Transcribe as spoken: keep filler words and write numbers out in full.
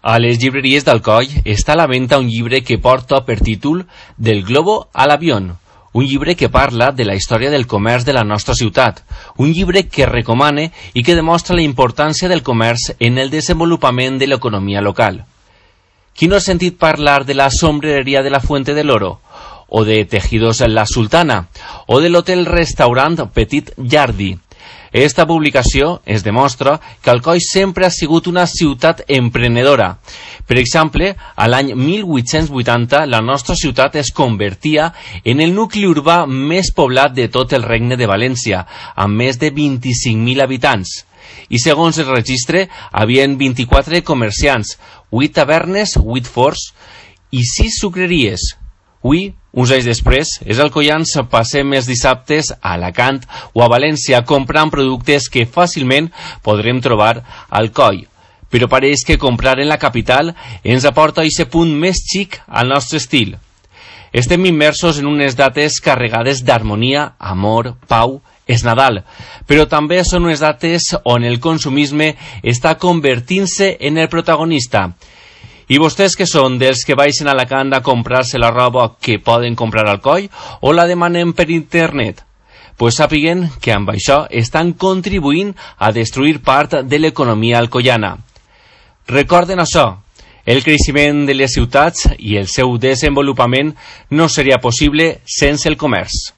A les llibreries d'Alcoi està a la venda un llibre que porta per títol Del globo a l'avión, un llibre que parla de la història del comerç de la nostra ciutat, un llibre que recomana i que demostra la importància del comerç en el desenvolupament de l'economia local. Qui no ha sentit parlar de la sombrereria de la Fuente del Oro, o de Tejidos La Sultana, o de l'hotel-restaurant Petit Jardí? Esta publicació es demostra que Alcoi sempre ha sigut una ciutat emprenedora. Per exemple, a l'any mil vuit-cents vuitanta la nostra ciutat es convertia en el nucli urbà més poblat de tot el Regne de València, amb més de vint-i-cinc mil habitants. I segons el registre, havien vint-i-quatre comerciants, vuit tavernes, vuit forns i sis sucreries. Avui, uns anys després, els alcoians passem els dissabtes a Alacant o a València comprant productes que fàcilment podrem trobar a Alcoi. Però pareix que comprar en la capital ens aporta aquest punt més xic al nostre estil. Estem immersos en unes dates carregades d'harmonia, amor, pau. És Nadal, però també són unes dates on el consumisme està convertint-se en el protagonista. I vostès que són dels que baixen a Alacant a comprar-se la roba que poden comprar al Alcoi o la demanen per internet? Pues sàpiguen que amb això estan contribuint a destruir part de l'economia alcoiana. Recorden això, el creixement de les ciutats i el seu desenvolupament no seria possible sense el comerç.